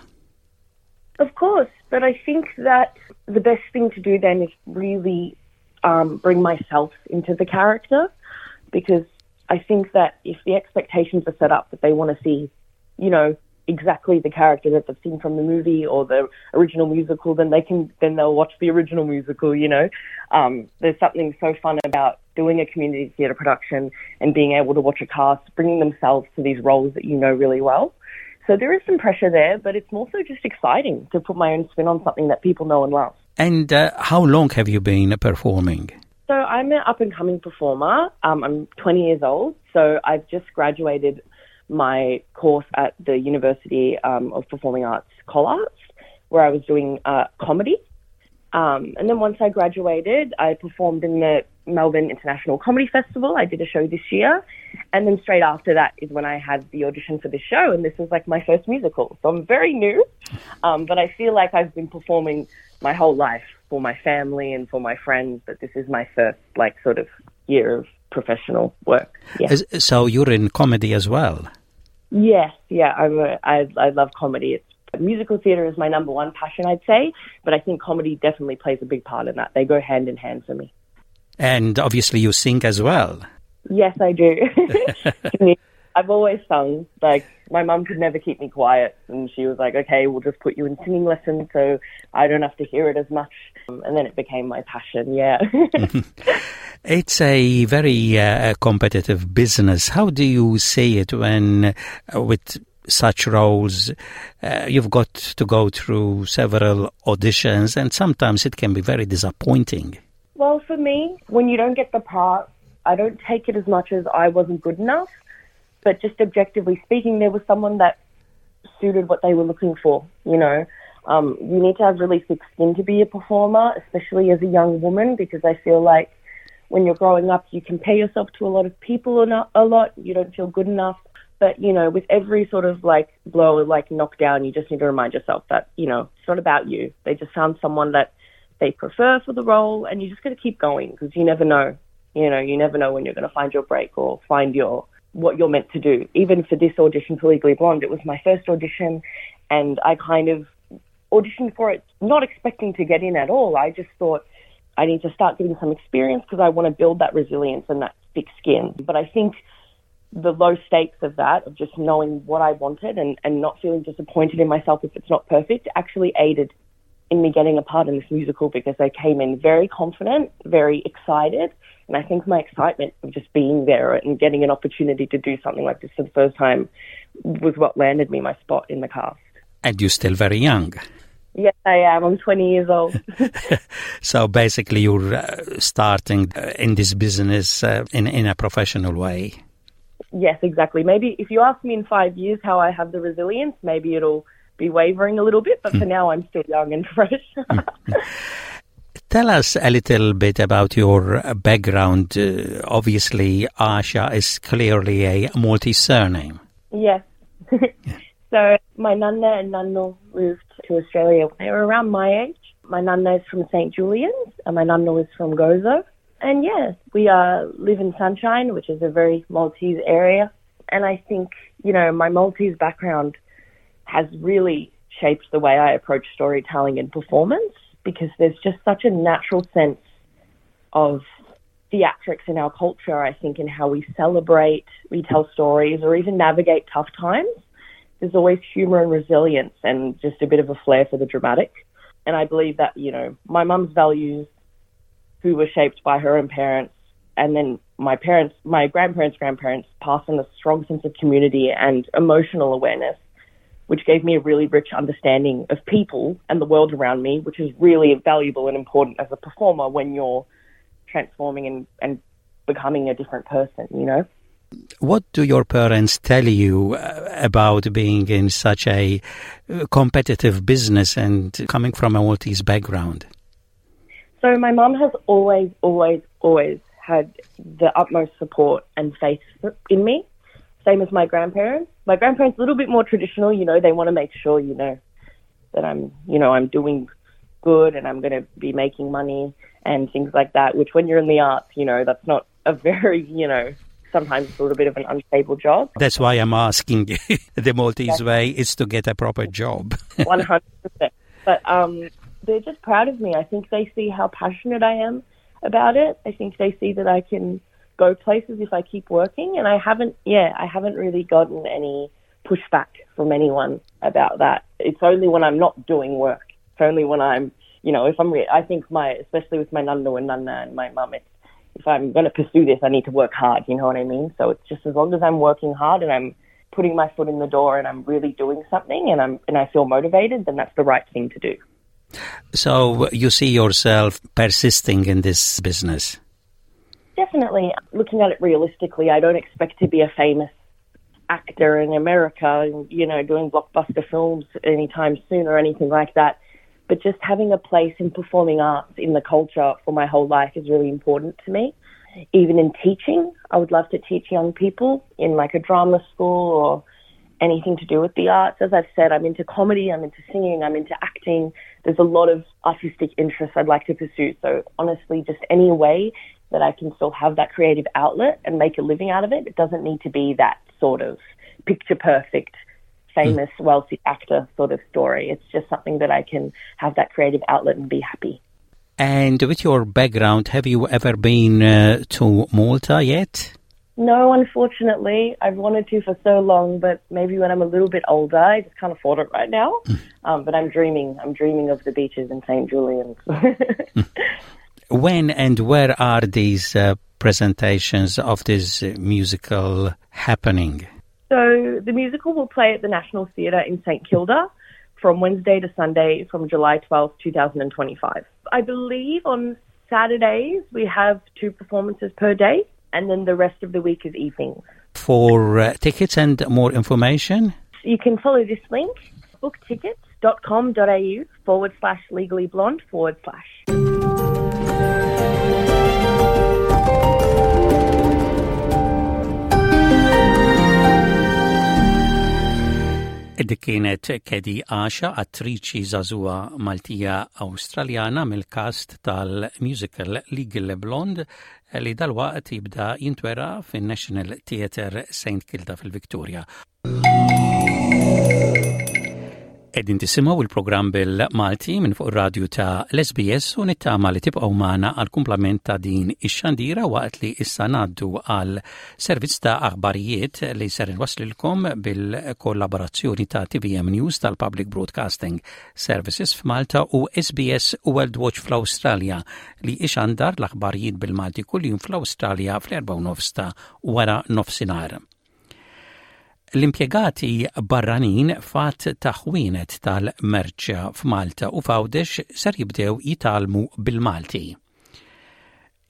Speaker 11: Of course, but I think that the best thing to do then is really um, bring myself into the character because I think that if the expectations are set up that they want to see, you know, exactly the character that they've seen from the movie or the original musical, then they can then they'll watch the original musical, you know. Um, there's something so fun about doing a community theatre production and being able to watch a cast bringing themselves to these roles that you know really well. So there is some pressure there, but it's more so just exciting to put my own spin on something that people know and love.
Speaker 1: And uh, how long have you been performing?
Speaker 11: So I'm an up-and-coming performer. Um, I'm twenty years old, so I've just graduated my course at the University um, of Performing Arts, Collarts, where I was doing uh, comedy. Um, and then once I graduated, I performed in the Melbourne International Comedy Festival. I did a show this year. And then straight after that is when I had the audition for this show. And this was like my first musical. So I'm very new, um, but I feel like I've been performing my whole life for my family and for my friends. But this is my first like sort of year of professional work. Yeah.
Speaker 1: So you're in comedy as well?
Speaker 11: Yes. Yeah. I'm a, I, I love comedy. It's Musical theatre is my number one passion, I'd say, but I think comedy definitely plays a big part in that. They go hand in hand for me.
Speaker 1: And obviously you sing as well.
Speaker 11: Yes, I do. I've always sung. Like, my mum could never keep me quiet, and she was like, okay, we'll just put you in singing lessons so I don't have to hear it as much. And then it became my passion, yeah.
Speaker 1: It's a very uh, competitive business. How do you see it when, uh, with such roles, uh, you've got to go through several auditions, and sometimes it can be very disappointing?
Speaker 11: Well, for me, when you don't get the part, I don't take it as much as I wasn't good enough, but just objectively speaking, there was someone that suited what they were looking for, you know. Um, you need to have really thick skin to be a performer, especially as a young woman, because I feel like when you're growing up, you compare yourself to a lot of people a lot. You don't feel good enough. But, you know, with every sort of, like, blow or, like, knockdown, you just need to remind yourself that, you know, it's not about you. They just found someone that they prefer for the role, and you just got to keep going because you never know. You know, you never know when you're going to find your break or find your what you're meant to do. Even for this audition for Legally Blonde, it was my first audition, and I kind of auditioned for it not expecting to get in at all. I just thought I need to start getting some experience because I want to build that resilience and that thick skin. But I think the low stakes of that, of just knowing what I wanted and, and not feeling disappointed in myself if it's not perfect, actually aided in me getting a part in this musical because I came in very confident, very excited. And I think my excitement of just being there and getting an opportunity to do something like this for the first time was what landed me my spot in the cast.
Speaker 1: And you're still very young.
Speaker 11: Yes, I am. I'm twenty years old.
Speaker 1: So basically, you're uh, starting uh, in this business uh, in, in a professional way.
Speaker 11: Yes, exactly. Maybe if you ask me in five years how I have the resilience, maybe it'll be wavering a little bit, but for now I'm still young and fresh.
Speaker 1: Tell us a little bit about your background. Uh, obviously, Asha is clearly a Maltese surname.
Speaker 11: Yes. So my nanna and nannu moved to Australia when they were around my age. My nanna is from Saint Julian's and my nannu is from Gozo. And yes, we uh, live in Sunshine, which is a very Maltese area. And I think, you know, my Maltese background has really shaped the way I approach storytelling and performance, because there's just such a natural sense of theatrics in our culture, I think, in how we celebrate, we tell stories, or even navigate tough times. There's always humour and resilience and just a bit of a flair for the dramatic. And I believe that, you know, my mum's values, who were shaped by her own parents, and then my parents, my grandparents' grandparents passed on a strong sense of community and emotional awareness, which gave me a really rich understanding of people and the world around me, which is really valuable and important as a performer when you're transforming and, and becoming a different person, you know?
Speaker 1: What do your parents tell you about being in such a competitive business and coming from a Maltese background?
Speaker 11: So my mum has always, always, always had the utmost support and faith in me. Same as my grandparents. My grandparents are a little bit more traditional, you know, they want to make sure, you know, that I'm, you know, I'm doing good and I'm gonna be making money and things like that, which when you're in the arts, you know, that's not a very, you know, sometimes it's a little bit of an unstable job.
Speaker 1: That's why I'm asking the Maltese yes. way is to get a proper job.
Speaker 11: one hundred percent. But um, they're just proud of me. I think they see how passionate I am about it. I think they see that I can go places if I keep working, and I haven't, yeah, I haven't really gotten any pushback from anyone about that. It's only when I'm not doing work. It's only when I'm, you know, if I'm, re- I think my, especially with my nannu and nanna and my mum, it's, if I'm gonna pursue this, I need to work hard, you know what I mean? So it's just as long as I'm working hard and I'm putting my foot in the door and I'm really doing something and I'm, and I feel motivated, then that's the right thing to do.
Speaker 1: So you see yourself persisting in this business?
Speaker 11: Definitely. Looking at it realistically, I don't expect to be a famous actor in America and, you know, doing blockbuster films anytime soon or anything like that. But just having a place in performing arts in the culture for my whole life is really important to me. Even in teaching, I would love to teach young people in like a drama school or anything to do with the arts. As I've said, I'm into comedy, I'm into singing, I'm into acting. There's a lot of artistic interests I'd like to pursue. So honestly, just any way that I can still have that creative outlet and make a living out of it. It doesn't need to be that sort of picture-perfect, famous, mm. wealthy actor sort of story. It's just something that I can have that creative outlet and be happy.
Speaker 1: And with your background, have you ever been uh, to Malta yet?
Speaker 11: No, unfortunately. I've wanted to for so long, but maybe when I'm a little bit older, I just can't afford it right now. Mm. Um, but I'm dreaming. I'm dreaming of the beaches in Saint Julian's.
Speaker 1: When and where are these, uh, presentations of this musical happening?
Speaker 11: So the musical will play at the National Theatre in Saint Kilda from Wednesday to Sunday from July twelfth, two thousand twenty-five. I believe on Saturdays we have two performances per day, and then the rest of the week is evenings.
Speaker 1: For, uh, tickets and more information?
Speaker 11: You can follow this link, booktickets dot com dot A U forward slash legally blonde forward slash.
Speaker 1: Dik kienet Kedi Asha, attriċi żagħżugħa Maltija Awstraljana mill-cast tal-musical Legally Blonde li dalwaqt jibda jintwera fin-National Theatre Saint Kilda fil-Victoria. Qegħdin tisimgħu il-programm bil-Malti minn fuq ir-radju ta' l-S B S u nittama li tibqgħu magħna għal kumplament ta' din ix-xandira, waqt li issa ngħaddu għal servizz ta' aħbarijiet li ser inwaslilkom bil-kollaborazzjoni ta' T V M News tal-Public Broadcasting Services f'Malta u S B S World Watch fl-Awstralja, li ixandar l-aħbarijiet bil-Malti kuljum fl-Awstralja fl-erba' nofs ta' wara nofsinhar. L-impjegati barranin f'għadd ta' ħwienet tal-merċa f'Malta u f'Għawdex ser jibdew jitgħallmu bil-Malti.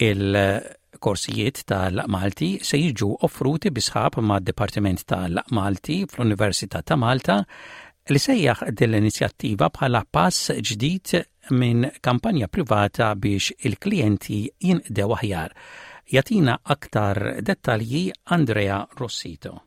Speaker 1: Il-korsijiet tal-Malti se jiġu offruti bi sħab ma' Dipartiment tal-Malti fl-Università ta' Malta, li sejjaħ din l-inizjattiva bħala pass ġdid minn kampanja privata biex il-klijenti jinqdew aħjar. Jagħtina aktar dettalji Andrea Rossito.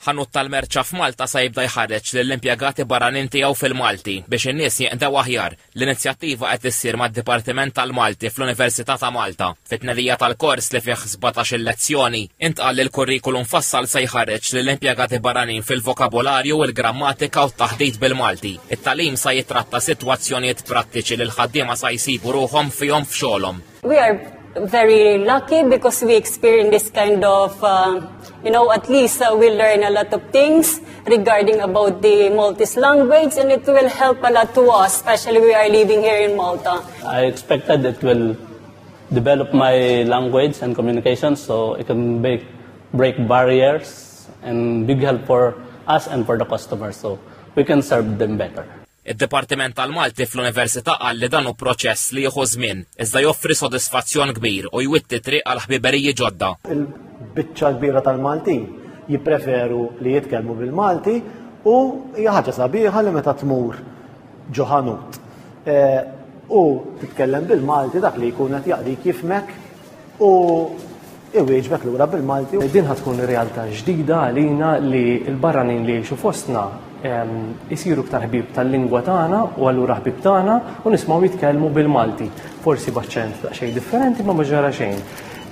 Speaker 12: Ħanut tal-merċa f'Malta sa jibda jħarreġ lill-impjegati barranin tiegħu fil-Malti biex in-nies jinqdew aħjar. L-inizjattiva qed issir mad-Dipartiment tal-Malti fl-Università ta' Malta. Fit-tnedija tal-kors, li fih sbatax-il lezzjoni, intqal li l-kurrikulum fassal se jħarreġ lill-impjegati barranin fil-vokabolarju, il-grammatika u t-taħdit bil-Malti. It-tagħlim sa jitratta sitwazzjonijiet prattiċi li l-ħaddiema sa jsibu ruħhom fihom f'xogħolhom.
Speaker 13: We are very lucky because we experience this kind of, uh, you know, at least uh, we learn a lot of things regarding about the Maltese language, and it will help a lot to us, especially we are living here in Malta.
Speaker 14: I expected it will develop my language and communication so it can break, break barriers and big help for us and for the customers so we can serve them better.
Speaker 12: Id-Dipartiment tal-Malti fl-Università qal li dan hu proċess li jieħu żmien, iżda joffri sodisfazzjon kbir u jwitti triq għal ħbiberiji ġodda.
Speaker 15: Il-biċċa kbira tal-Maltin jippreferu li jitkellmu bil-Malti u hija ħaġa sabiħa li meta tmur ġo ħanut eh, u titkellem bil-Malti, dak li jkun qed jaqdik jifhmek u iwieġbek lura bil-Malti.
Speaker 16: Din ħa tkun realtà ġdida għalina li l-barranin li jgħixu fostna isiru iktar ħbib tal-lingwa tagħna u allura ħbib tagħna u nismgħu jitkellmu bil-Malti. Forsi b'aċċent daqsxejn differenti, ma ma ġara xejn.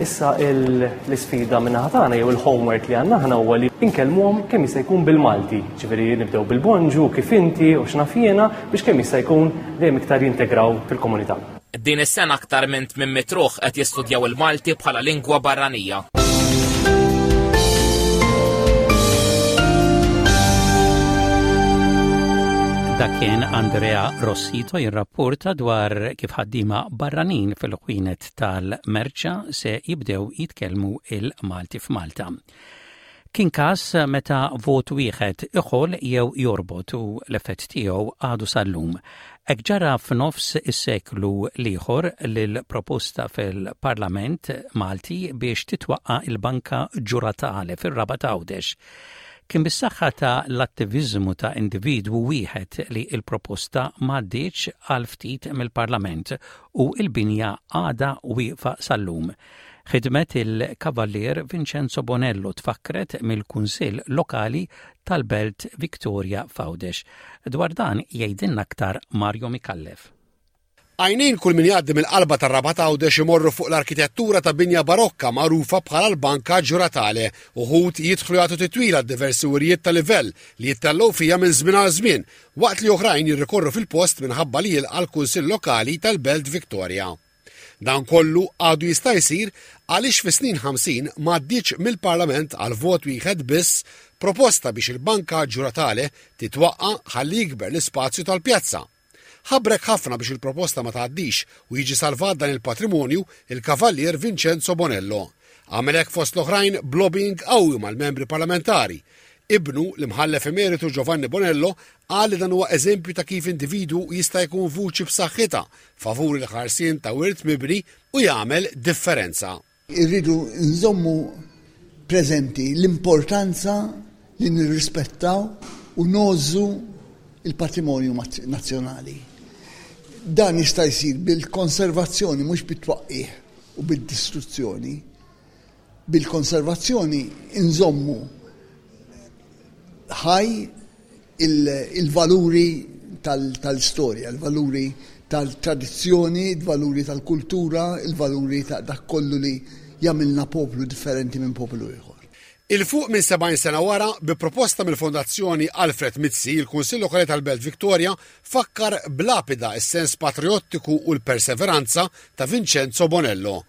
Speaker 16: Issa l-isfida min-naħa tagħna jew il-homework li għandna aħna huwa li nkellmuhom kemm jista' jkun bil-Malti. Ġifieri nibdew bil-bonġu, kif inti u x'naf jiena, biex kemm jista' jkun dejjem iktar jintegraw fil-komunità.
Speaker 12: Din is-sena aktar minn tmien mitt ruħ qed jistudjaw il-Malti bħala lingwa barranija.
Speaker 1: Dak kien Andrea Rossito jirrapporta dwar kif ħaddiema barranin fil-ħwienet tal-merċa se jibdew jitkellmu il-Malti f'Malta. Kien każ meta vot wieħed iħol jew jorbot u l-effett tiegħu għadu sal-lum. Hekk ġara f'nofs is-seklu l-ieħor lil proposta fil-Parlament Malti biex titwaqqa il-Banka Ġuratale fir-Rabat Għawdex. Kien bis-saħħa ta' l-attiviżmu ta' individwu wieħed li il-proposta m'għaddietx għal ftit mill-Parlament u il-binja għada wieqfa sal-lum. Ħidmet il-Kavallier Vincenzo Bonello tfakkret mill-Kunsill Lokali tal-Belt Victoria f'Għawdex. Dwar dan jgħidilna aktar Mario Micallef.
Speaker 17: Għajnejn kull min jgħaddi mill-qalba tar-Rabat Għawdex imorru fuq l-arkitettura ta' binja barokka magħrufa bħala l-Banka Ġuratale. Uħud jidħlu jagħtu titwila diversi wirjiet ta' livell li jittellgħu fija minn żmien għal żmien, waqt li oħrajn jirrikorru fil-post minħabba li jilqa' l-Kunsill Lokali tal-Belt Victoria. Dan kollu għadu jista' jsir għaliex fi snin ħamsin m'għaddietx mill-Parlament għal vot wieħed biss proposta biex il-Banka Ġuratale titwaqqa ħalli jikber l-ispazju tal-pjazza. Ħabrek ħafna biex il-proposta ma tgħaddix u jiġi salvat dan il-patrimonju il-Kavallier Vincenzo Bonello. Għamel hekk fost l-oħrajn b'lobbying qawwi mal-membri parlamentari. Ibnu, l-imħallef emeritu Giovanni Bonello, qal li dan huwa eżempju ta' kif individu jista' jkun vuċi b'saħħitha favur il-ħarsien ta' wirt mibni u jagħmel differenza.
Speaker 18: Irridu nżommu preżenti l-importanza li nirrispettaw u ngħożżu il-patrimonju nazzjonali. Dan jista' jsir bil-konservazzjoni, mhux bit-twaqqih u bid-distruzzjoni. Bil-konservazzjoni inżommu ħaj il-valuri tal-istorja, il-valuri tal-tradizzjoni, il-valuri tal-kultura, il-valuri ta' dak kollu li Jagħmilna poplu differenti minn poplu ieħor.
Speaker 17: 'Il fuq minn sebgħin sena wara, bi proposta mill-Fondazzjoni Alfred Mizzi, il-Kunsill Lokali tal-Belt Victoria fakkar b'lapida s-sens patriottiku u l-perseveranza ta' Vincenzo Bonello.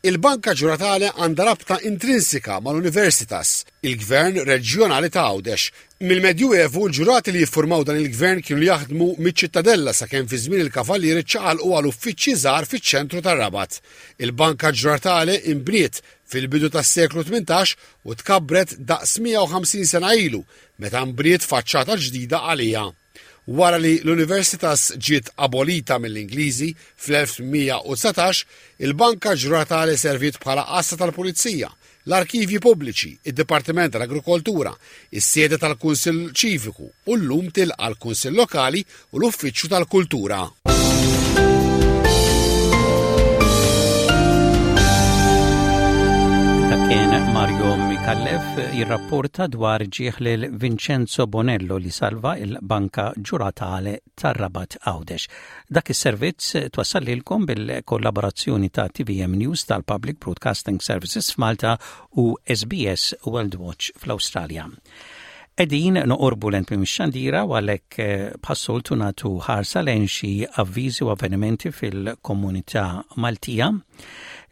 Speaker 17: Il-Banka Ġuratale għandha rabta intrinsika mal-Universitas, il-Gvern Reġjonali ta' Għawdex. Mill-Medjuevu l-ġurati li jiffurmaw dan il-gvern kienu jaħdmu miċ-ċittadella sakemm fi żmien il-Kavallieri ċaqalqu għal uffiċċji żgħar fiċ-ċentru tar-Rabat. Il-Banka Ġuratale inbniet fil-bidu tas-seklu tmintax u tkabbret daqs mija u ħamsin sena ilu meta nbniet faċċata ġdida għalija. Wara li l-Universitas ġiet abolita mill-Ingliżi fl-elf tmien mija u dsatax, il-Banka Ġuratale serviet bħala għassa tal-Pulizija, l-arkivji pubbliċi, id-Dipartiment tal-Agrikoltura, is-sede tal-Kunsill Ċiviku u llum tilqa' l-Kunsill Lokali u l-Uffiċċju tal-Kultura.
Speaker 1: Dak kien Mario Micallef jirrapporta dwar ġieħ lil Vincenzo Bonello li salva il-Banka Ġuratale tar-Rabat Għawdex. Dak is-servizz twassal lilkom bil-kollaborazzjoni ta' T V M News tal-Public Broadcasting Services f'Malta u S B S World Watch fl-Awstralja. Qegħdin noqorbu lejn tmiem ix-xandira u għalhekk eh, bħas-soltu nagħtu ħarsa lejn xi avviżi u avvenimenti fil-komunità Maltija.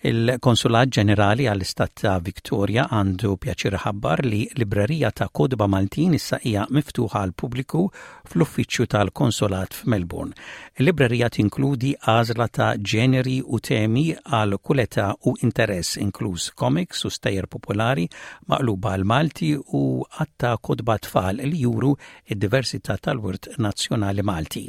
Speaker 1: Il-Konsulat Ġenerali għall-Istat ta' Victoria għandu pjaċir iħabbar li librerija ta' kotba Maltin issa hija miftuħa għal pubbliku fl-uffiċċju tal-Konsolat f'Melbourne. Il-librerija tinkludi għażla ta' ġeneri u temi għal kull età u interess, inkluż comics u stejjer popolari maqluba għal Malti u għadd ta' kotba tfal li juru id-diversità tal-wirt nazzjonali Malti.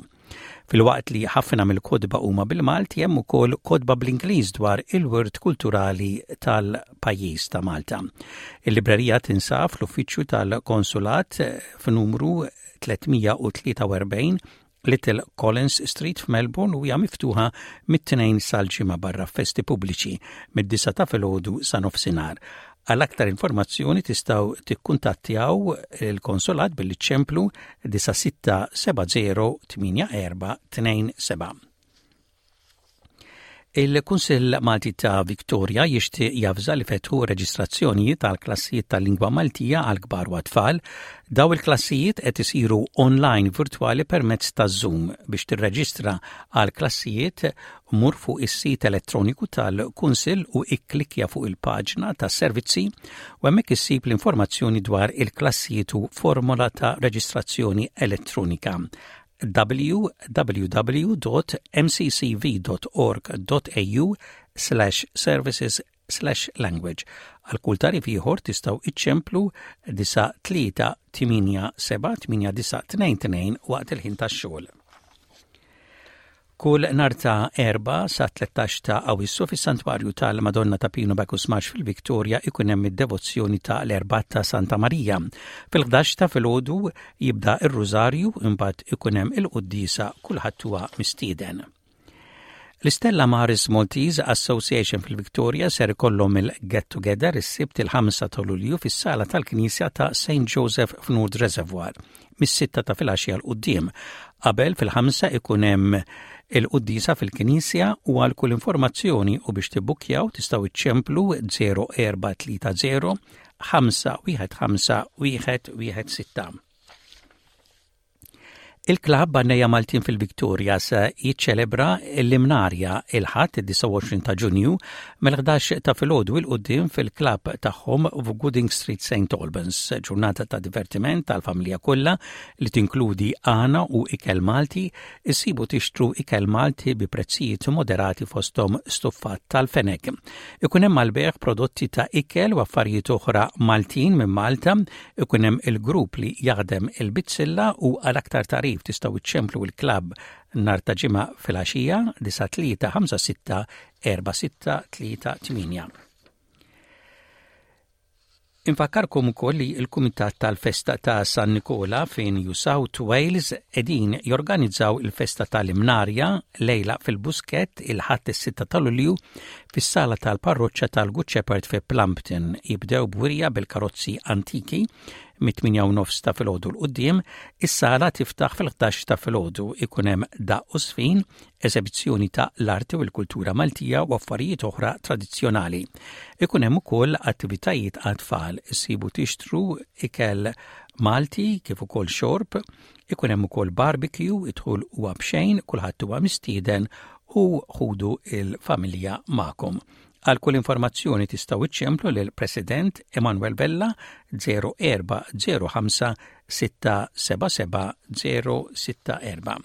Speaker 1: Filwaqt li ħafna mill-kotba huma bil-Malti, hemm ukoll kotba bl-Ingliż dwar il-wirt kulturali tal-pajjiż ta' Malta. Il-librerija tinsab fl-uffiċċju tal-Konsulat f'numru tliet mija u tlieta u erbgħin Little Collins Street f'Melbourne u hija miftuħa mit-Tnejn sal-Ġimgħa barra festi pubbliċi mid-disgħa ta' filgħodu sa nofsinhar. Għal aktar informazzjoni tistgħu tikkuntattjaw il-konsolat billi ċemplu disgħa sitta seba' zero tmienja erba' tnejn seba'. Il-Kunsill Malti ta' Victoria jixtieq javża li fetħu reġistrazzjonijiet tal klassijiet tal-lingwa Maltija għal kbar u tfal. Daw il-klassijiet qed isiru online virtuali permezz ta' Zoom. Biex tirreġistra għal klassijiet, mur fuq is-sit elettroniku tal-Kunsill u ikklikja fuq il-paġna ta' servizzi u hemmhekk issib l-informazzjoni dwar il-klassijiet u formola ta' reġistrazzjoni elettronika: w w w dot m c c v dot org dot a u slash services slash language. Għal kull tagħrif ieħor tistgħu iċċemplu disgħa tlieta tmienja seba' tmienja disgħa tnejn tnejn waqt il-ħin tax-xogħol. Kull nhar ta' Erbgħa sa tlettax ta' Awissu fis-Santwarju tal-Madonna ta' Pinu Bacchus Marsh fil-Victoria ikun hemm id-devozzjoni ta' l-Erbgħa ta' Santa Marija. Fil-ħdax ta' filgħodu jibda ir-Rużarju, imbagħad ikun hemm il-quddiesa. Kulħadd huwa mistieden. L-Stella Maris Maltese Association fil-Victoria ser ikollhom il-Get Together is-Sibt il-ħamsa ta' Lulju fis-sala tal-Knisja ta' Saint Joseph f'North Reservoir mis-sitta ta' filgħaxija 'l quddiem. Qabel fil-ħamsa ikun hemm il-quddiesa fil-Knisja u għal kull informazzjoni u biex tibbukjaw tistgħu iċċemplu zero erba' tlieta zero ħamsa wieħed ħamsa wieħed wieħed sitta. Il-klabb Għannejja Maltin fil-Victoria se jiċċelebra l-Imnarja il-Ħadd id-disgħa u għoxrin ta' Ġunju mill-ħdax ta' filgħodu 'l quddiem fil-klabb tagħhom f'Gooding Street, Saint Albans. Ġurnata ta' divertiment tal-familja kollha li tinkludi għana u ikel Malti. Issibu tixtru ikel Malti bi prezzijiet moderati, fosthom stuffat tal-fenek. Ikun hemm għall-bejgħ prodotti ta' ikel u affarijiet oħra Maltin minn Malta, ikun hemm il-grupp li jaħdem il-bizzilla u għal aktar tagħrif tistgħu iċċemplu il-klabb nhar ta' Ġimgħa filgħaxija disgħa tlieta ħamsa sitta erba' sitta tlieta tmienja. Infakkarkom ukoll li l-Kumitat tal-Festa ta' San Nikola fi New South Wales qegħdin jorganizzaw il-Festa tal-Imnarja lejla fil-Buskett il-Ħadd is-sitta ta' Lulju fis-sala tal-Parroċċa tal-Good Shepherd fi Plumpton. Jibdew b'wirja bil-karozzi antiki, Mit-tmienja u nofs ta' filgħodu 'l quddiem, is-sala tiftaħ fil-ħdax ta' filgħodu. Ikun hemm daqq u żfin, eżebizzjoni ta' l-arti u l-kultura Maltija u affarijiet oħra tradizzjonali. Ikun hemm ukoll attivitajiet għat-tfal, issibu tixtru ikel Malti kif ukoll xorb, ikun hemm ukoll barbecue, id-dħul huwa b'xejn, kulħadd huwa mistieden u ħudu il-familja magħkom. Għal kull informazzjoni tistgħu iċċemplu lil President Emanuel Vella żero erba' żero ħamsa sitta seba' seba' żero sitta erba'.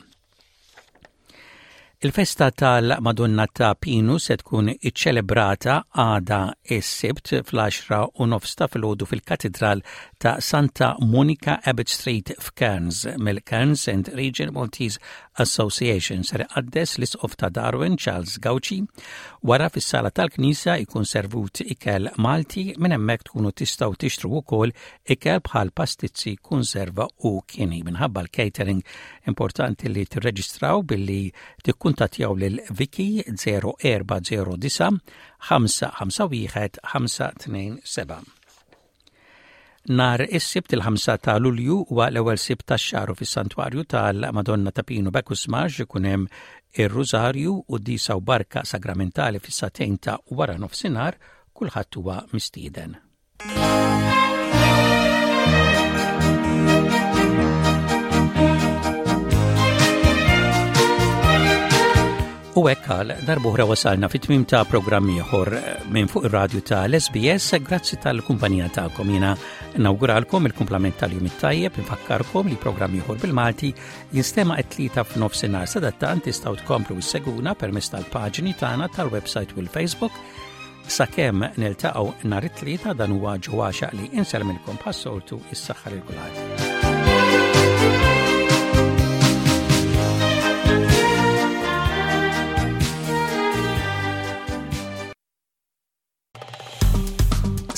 Speaker 1: Il-festa tal-Madonna ta' Pinu se tkun iċċelebrata għada is-Sibt fl-għaxra u nofs ta' filgħodu fil-Katedral ta' Santa Monica, Abbott Street f'Cairns, mill-Cairns and Region Maltese Association. Ser iqaddes l-Isqof ta' Darwin Charles Gauci. Wara fis-sala tal-Knisja jkun servut ikel Malti, minn hemmhekk tkunu tistgħu tixtru wkoll ikel bħal pastizzi, konserva u kieni. Minħabba l-catering, importanti li tirreġistraw billi tikkuntattjaw lil Vicky żero erba' żero disgħa ħamsa ħamsa wieħed ħamsa tnejn seba'. Nhar is-Sibt il-ħamsa ta' Lulju huwa l-ewwel Sibt tax-xahar fis-Santwarju tal-Madonna ta' Pinu Bacchus Marsh ikun hemm ir-Rużarju u quddiesa u barka sagramentali fis-sagħtejn ta' wara nofsinhar, kulħadd huwa mistieden. U hekk għal darb'oħra wasalna fit-tmim ta' programm ieħor minn fuq ir-radju ta' l-S B S. Grazzi tal-kumpanija tagħkom. Jiena nawguralkom il-kumplament tal-jum it-tajjeb, infakkarkom li programm ieħor bil-Malti jinstema' it-Tlieta f'nofsinhar. Sadattant tistgħu tkomplu issegwuna permezz tal-paġni tagħna tal-website u l-Facebook. Sakemm niltaqgħu nhar it-Tlieta, dan huwa Ġewwaxa li insellmilkom bħas-soltu, is-saħħa lil kulħadd.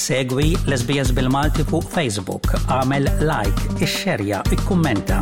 Speaker 1: Segwi l-S B S bil-Malti fuq Facebook, għamel like, ixxerja, ikkummenta.